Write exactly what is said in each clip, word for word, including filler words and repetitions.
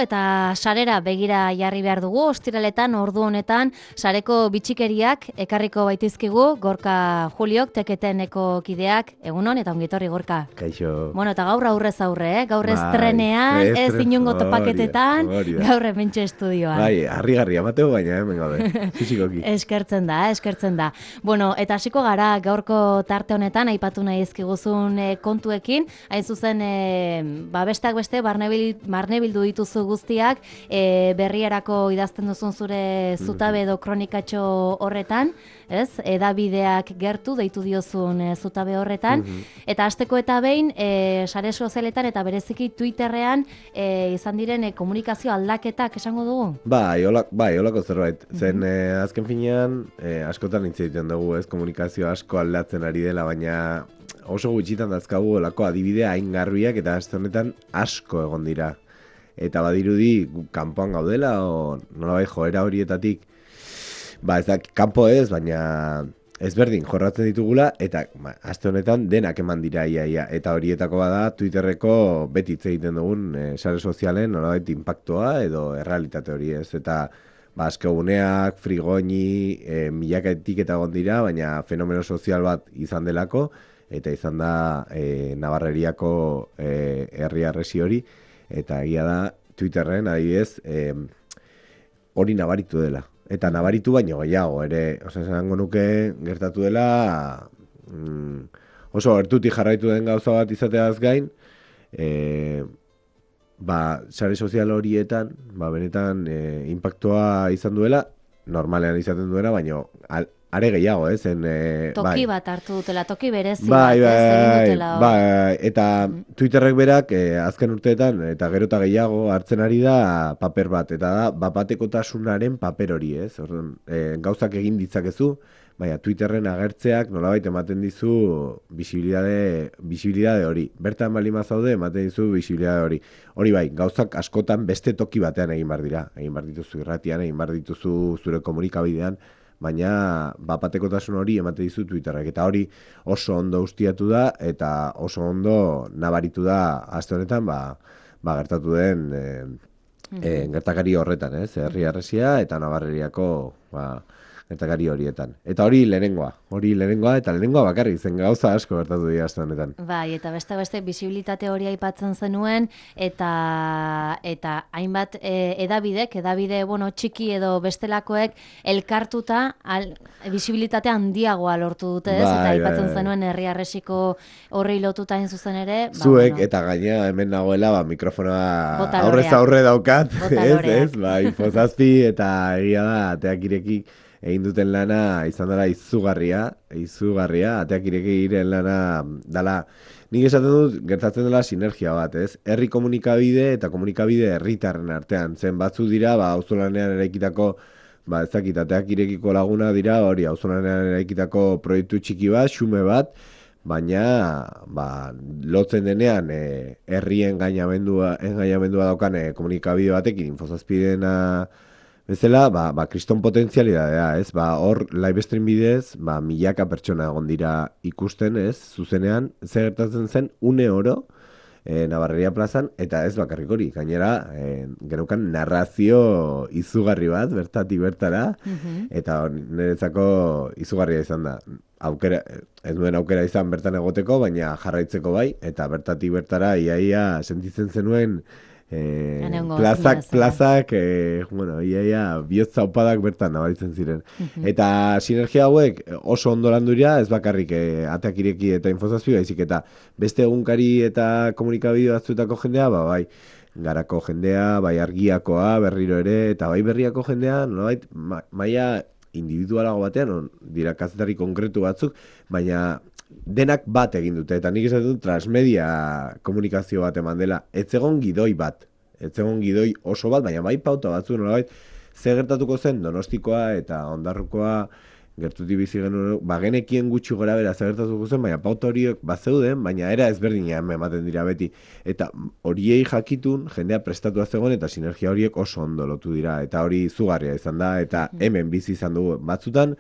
Eta sarera begira jarri behar dugu, ostiraletan, ordu honetan, sareko bitxikeriak ekarriko baitizkigu, Gorka Juliok, teketeneko kideak, egunon, eta ongitorri Gorka. Kaixo. Bueno, eta gaur aurrez aurre, eh? Gaur estrenean, ez inungo topaketetan, gaur hementxe estudioan. Bai, harri-garria mateo baina, hemen gabe, fizikoki. Eskertzen da, eskertzen da. Bueno, eta hasiko gara gaurko tarte honetan, aipatu nahi ezkiguzun e, kontuekin, hain zuzen, e, ba, besteak beste, barnebil, barnebildu dituzu guztiak, e, berrierako idazten duzun zure zutabe edo kronikatxo horretan, ez? Edabideak gertu deitu diozun e, zutabe horretan, eta hasteko eta behin, e, sare sozialetan eta bereziki Twitterrean e, izan diren e, komunikazio aldaketak esango dugu? Bai, olak, bai, olako zerbait. Zen, e, azken finean, e, askotan hitz egiten dugu, ez? Komunikazio asko aldatzen ari dela, baina oso gutxitan dazkagu olako adibidea hain garbiak eta aste honetan asko egon dira. Eta badirudi kanpoan gaudela, o nolabait joera horietatik, ba ez da, kanpo ez, baina ezberdin jorratzen ditugula, eta ba, aste honetan denak eman dira iaia, eta horietako bada Twitterreko beti hitz egiten dugun e, sare sozialen nolabait impactoa edo errealitate hori ez, eta ba, askeguneak, frigoini, e, milakaetik eta egon dira, baina fenomeno sozial bat izan delako, eta izan da e, Navarreriako e, herri harresi hori, eta egia da Twitterren adibidez eh, hori nabaritu dela. Eta nabaritu baino gehiago, ere, oza, esango nuke gertatu dela mm, oso gertutik jarraitu den gauza bat izateaz gain, eh, ba, sare sozial horietan, ba, benetan eh, impactua izan duela, normalean izaten duela, baino al, are gehiago, eh, zen... Eh, toki bai. bat hartu dutela, toki berezi bai, bat, ez egin dutela. Bai, bai, eta Twitterrek berak eh, azken urteetan, eta gero eta gehiago hartzen ari da paper bat, eta da, bapatekotasunaren paper hori, ez? Orduan, eh, gauzak egin ditzakezu, baina Twitterren agertzeak nolabait ematen dizu bisibilidade, bisibilidade hori. Bertan bali mazaude ematen dizu bisibilidade hori. Hori bai, gauzak askotan beste toki batean egin bar dira. Egin bar dituzu irratian, egin bar dituzu zure komunikabidean, baina bapatekotasun hori ematen dizu Twitterrek, eta hori oso ondo ustiatu da, eta oso ondo nabaritu da aste honetan, ba, ba gertatu den e, e, gertakari horretan, ez? Herri harresia eta Navarreriako ba, gertakari horietan. Eta hori lehenengoa, hori lehenengoa, eta lehenengoa bakarrik zen gauza asko gertatu dira aste honetan. Bai, eta beste beste bisibilitate hori aipatzen zenuen, eta eta hainbat e, edabidek, edabide bueno, txiki edo bestelakoek elkartuta al, bisibilitate handiagoa lortu dute, ez? Bai, eta aipatzen bai, zenuen herri harresiko horri lotuta hain zuzen ere. Ba, Zuek, bueno, eta gaina hemen nagoela, ba, mikrofonoa Botaloreak. aurrez aurre daukat, ez, Botaloreak. ez? Ba, infozazpi, eta egia da, ateak ireki egin duten lana izan dela izugarria, izugarria, ateak ireki iren lana dela, nik esaten dut gertatzen dela sinergia bat, ez? Herri komunikabide eta komunikabide herritarren artean, zen batzu dira, ba, auzolanean eraikitako, ba, ez dakit, ateak irekiko laguna dira, hori, auzolanean eraikitako proiektu txiki bat, xume bat, baina, ba, lotzen denean, e, herrien gainamendua, engainamendua daukan e, komunikabide batekin, infozazpidena, bezala, ba, ba, kriston potentzialidadea, ez? Ba, hor, live stream bidez, ba, milaka pertsona egon dira ikusten, ez? Zuzenean, zer gertatzen zen, une oro, e, Navarreria plazan, eta ez bakarrik hori, gainera, e, geneukan narrazio izugarri bat, bertatik bertara, eta niretzako izugarria izan da. Aukera, ez duen aukera izan bertan egoteko, baina jarraitzeko bai, eta bertatik bertara, iaia sentitzen zenuen, Eh, plazak, plazak, eh, bueno, iaia, bihotza opadak bertan nabaritzen ziren. Uh-huh. Eta sinergia hauek oso ondo landu dira, ez bakarrik eh, ateak ireki eta infozazpi, baizik eta beste egunkari eta komunikabide batzuetako jendea, ba, bai, garako jendea, bai argiakoa, berriro ere, eta bai berriako jendea, nolabait, ma, maila individualago batean, on, dira kazetari konkretu batzuk, baina denak bat egin dute, eta nik esaten dut transmedia komunikazio bat eman dela, ez egon gidoi bat, ez egon gidoi oso bat, baina bai pauta batzu nolabait, ze gertatuko zen Donostikoa eta Ondarrukoa gertutik bizi genuen, ba genekien gutxi gora bera ze gertatuko zen, baina pauta horiek bazeuden, baina era ezberdina ematen dira beti, eta horiei jakitun jendea prestatua zegoen eta sinergia horiek oso ondo lotu dira, eta hori izugarria izan da, eta hemen bizi izan dugu batzutan,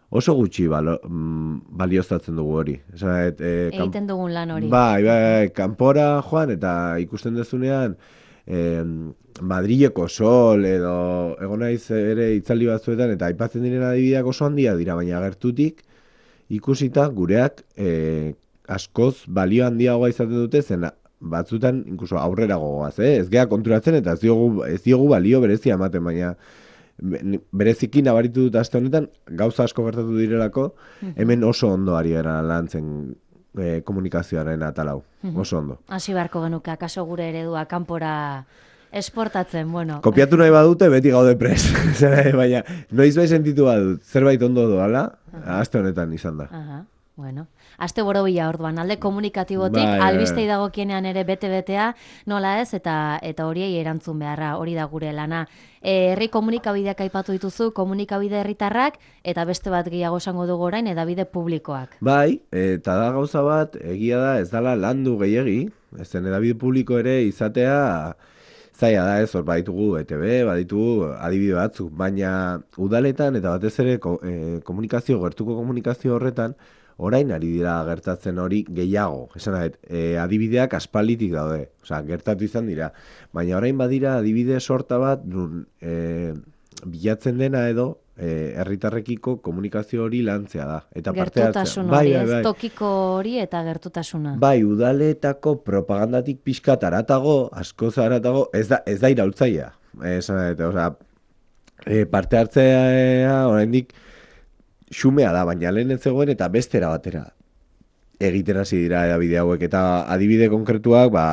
oso gutxi balo, balioztatzen dugu hori. Esan, et, e, egiten dugun lan hori. Bai, bai, kanpora joan eta ikusten dezunean, e, Madrileko Sol edo egon naiz ere itzaldi batzuetan eta aipatzen diren adibideak oso handia dira, baina gertutik ikusita gureak e, askoz balio handiagoa izaten dute zen batzutan inkluso aurrera gogoaz, eh? Ez gea konturatzen eta ez diogu, ez diogu balio berezia ematen, baina bereziki nabaritu dut aste honetan gauza asko gertatu direlako, hemen oso ondo ari gara lantzen e, komunikazioaren atalau, oso ondo. Hasi beharko genuke, akaso gure eredua kanpora esportatzen, bueno. Kopiatu nahi badute, beti gaude pres. Baina, noiz bai sentitu badut, zerbait ondo doala, aste honetan izan da. Aha, bueno. Aste borobila orduan, alde komunikatibotik, bai, albistei dagokienean ere bete-betea, nola ez, eta eta horiei erantzun beharra, hori da gure lana. E, herri komunikabideak aipatu dituzu, komunikabide herritarrak, eta beste bat gehiago esango dugu orain, edabide publikoak. Bai, eta da gauza bat, egia da, ez dala landu gehiegi, ezen edabide publiko ere izatea, zaila da ez, hor baditugu E T B, baditugu adibide batzuk, baina udaletan eta batez ere ko, e, komunikazio, gertuko komunikazio horretan, orain ari dira gertatzen hori gehiago. Esan dut, e, adibideak aspalditik daude, osea, gertatu izan dira, baina orain badira adibide sorta bat, nun, e, bilatzen dena edo, herritarrekiko e, komunikazio hori lantzea da. Eta gertutasun hori, ez tokiko hori eta gertutasuna. Bai, udaletako propagandatik pixkat aratago, askoz aratago, ez da, ez da iraultzaia. Esan dut, osea, e, parte hartzea oraindik xumea da, baina lehen ez zegoen eta bestera batera egiten hasi dira edabide hauek, eta adibide konkretuak ba,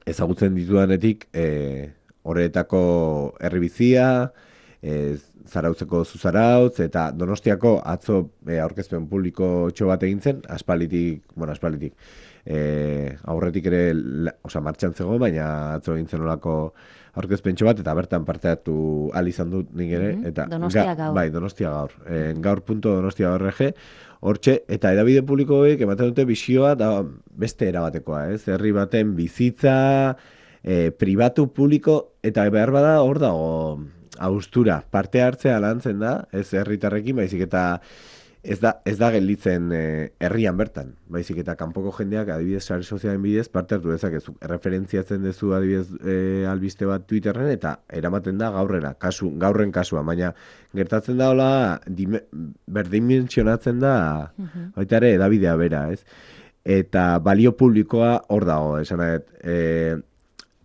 ezagutzen ditudanetik e, horretako herribizia, e, Zarautzeko Zuzarautz, eta Donostiako atzo e, aurkezpen publiko txo bat egin zen, aspalitik, bueno, aspalitik, e, aurretik ere, osea, martxan zegoen, baina atzo egin zen olako aurkezpen txo bat, eta bertan parte hartu ahal izan dut nik ere. Mm-hmm. Eta, Donostia gaur. Bai, Donostia gaur. E, gaur punto donostia org, hortxe, eta edabide publikoek ematen dute bisioa da beste erabatekoa, ez? Herri baten bizitza, e, pribatu publiko, eta behar bada hor dago haustura, parte hartzea lantzen da, ez herritarrekin, baizik eta ez da, ez da gelditzen e, herrian bertan, baizik eta kanpoko jendeak adibidez sare sozialen bidez parte hartu dezakezu, referentziatzen duzu adibidez e, albiste bat Twitterren eta eramaten da gaurrera, kasu, gaurren kasua, baina gertatzen da hola berdimentsionatzen da uh-huh. baita ere edabidea bera, ez? Eta balio publikoa hor dago, esan dut, e,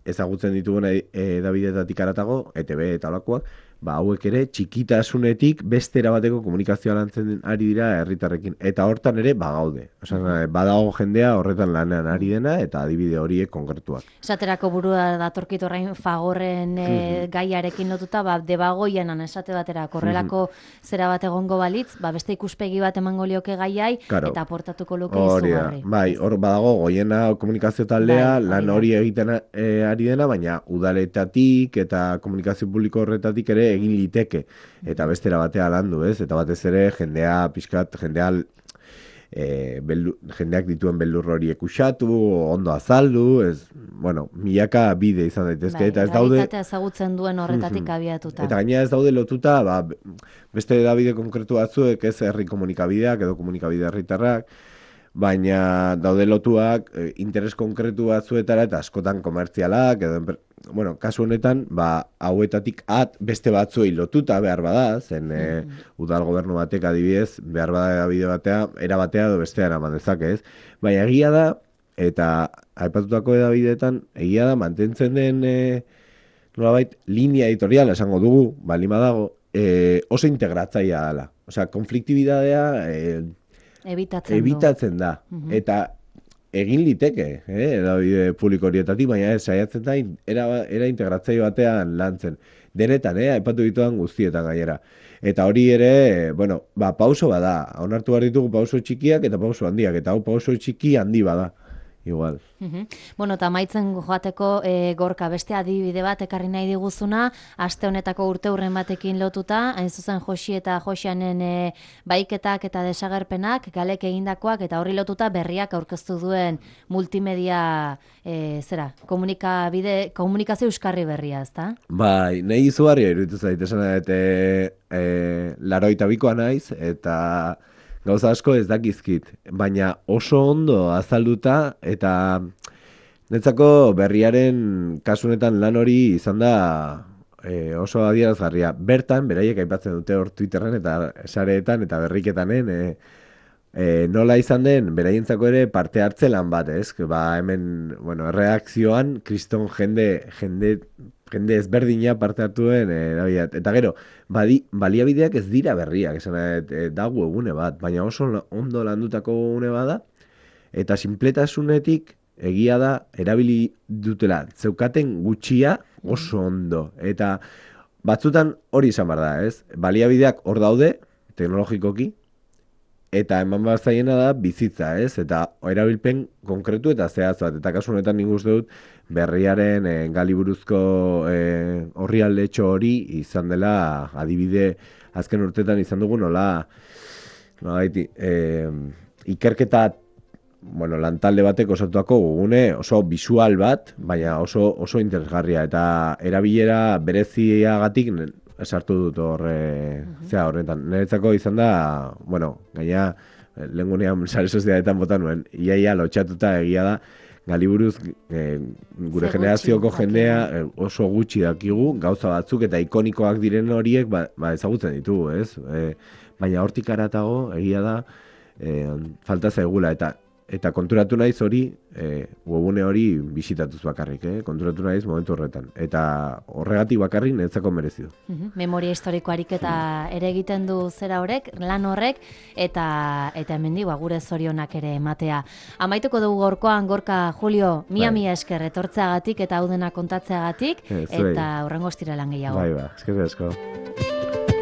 ezagutzen ditugun edabideetatik aratago, E T B eta olakoak, ba, hauek ere txikitasunetik beste erabateko komunikazioa lantzen ari dira herritarrekin. Eta hortan ere bagaude. Osa, badago jendea horretan lanean ari dena eta adibide horiek konkretuak. Esaterako burua datorkit orain Fagorren e, mm-hmm. gaiarekin lotuta, ba, debagoienan esate batera, korrelako mm-hmm. zera bat egongo balitz, ba, beste ikuspegi bat emango lioke gaiai, claro. Eta aportatuko luke izugarri. Bai, hor badago goiena komunikazio taldea, bai, lan hori egiten e, ari dena, baina udaletatik eta komunikazio publiko horretatik ere egin liteke, eta bestera batea landu, ez? Eta batez ere jendea pixkat, jendea e, beldu, jendeak dituen beldur horiek usatu, ondo azaldu, ez, bueno, milaka bide izan daitezke, bai, eta ez daude... Realitatea ezagutzen duen horretatik mm-hmm. abiatuta. Eta gaina ez daude lotuta, ba, beste edabide konkretu batzuek, ez herri komunikabideak edo komunikabide herritarrak, baina daude lotuak e, interes konkretu batzuetara eta askotan komertzialak, edo, bueno, kasu honetan, ba, hauetatik at beste batzuei lotuta behar bada, zen e, udal gobernu batek adibidez, behar bada bide batea, era batea edo bestea eraman dezake, ez? Baina egia da, eta aipatutako edabideetan, egia da, mantentzen den e, nolabait, linea editorial esango dugu, balima dago, e, oso integratzaia dela. Osea, konfliktibidadea... E, Ebitatzen, Ebitatzen da. Uh-huh. Eta egin liteke, eh, edabide publiko horietatik, baina ez, saiatzen da, era, era integratzaile batean lantzen. Denetan, eh, aipatu ditudan guztietan gainera. Eta hori ere, bueno, ba, pauso bada. Onartu behar ditugu pauso txikiak eta pauso handiak. Eta hau pauso txiki handi bada. Igual. Uh-huh. Bueno, eta maitzen joateko e, Gorka, beste adibide bat ekarri nahi diguzuna, aste honetako urte hurren batekin lotuta, hain zuzen Josi eta Josianen e, baiketak eta desagerpenak, galek egindakoak, eta horri lotuta berriak aurkeztu duen multimedia, e, zera, komunikabide, komunikazio euskarri berria, ezta? Bai, nahi izugarria iruditu zait, esan eta e, laroita bikoa naiz, eta... Gauza asko ez dakizkit, baina oso ondo azalduta eta netzako berriaren kasunetan lan hori izan da e, oso adierazgarria. Bertan, beraiek aipatzen dute hor Twitterren eta sareetan eta berriketanen, e, e, nola izan den, beraientzako ere parte hartze lan bat, ez? Ba, hemen, bueno, erreakzioan, kriston jende, jende, jende ezberdina parte hartu duen, e, eta gero, badi, baliabideak ez dira berriak, esan e, da webgune bat, baina oso ondo landutako webgune bada, eta sinpletasunetik egia da erabili dutela zeukaten gutxia oso ondo. Eta batzutan hori izan behar da, ez? Baliabideak hor daude, teknologikoki, eta eman behar zaiena da bizitza, ez? Eta erabilpen konkretu eta zehaz bat. Eta kasu honetan nik uste dut berriaren e, galiburuzko e, horri aldetxo hori izan dela adibide azken urtetan izan dugu nola, nola gaiti, e, ikerketa bueno, lantalde batek osatuako gugune oso visual bat, baina oso oso interesgarria eta erabilera bereziagatik sartu dut hor e, zea horretan. Niretzako izan da, bueno, gaina lehengunean sare sozialetan bota nuen, iaia lotxatuta egia da Galiburuz e, gure generazioko jendea e, oso gutxi dakigu, gauza batzuk eta ikonikoak diren horiek ba, ba ezagutzen ditugu, ez? E, baina hortik haratago egia da e, falta zaigula eta Eta konturatu naiz hori, e, webune hori bisitatuz bakarrik, eh? Konturatu naiz momentu horretan. Eta horregatik bakarrik netzako merezi du. Uh-huh. Memoria historiko ariketa ere egiten du zera horrek, lan horrek, eta eta hemendi ba, gure zorionak ere ematea. Amaituko dugu gorkoan, Gorka, Julio, mia bai. mia esker etortzeagatik eta hau dena kontatzeagatik, e, eta hurrengo ostiralan gehiago. Bai, ba, eskerrik asko.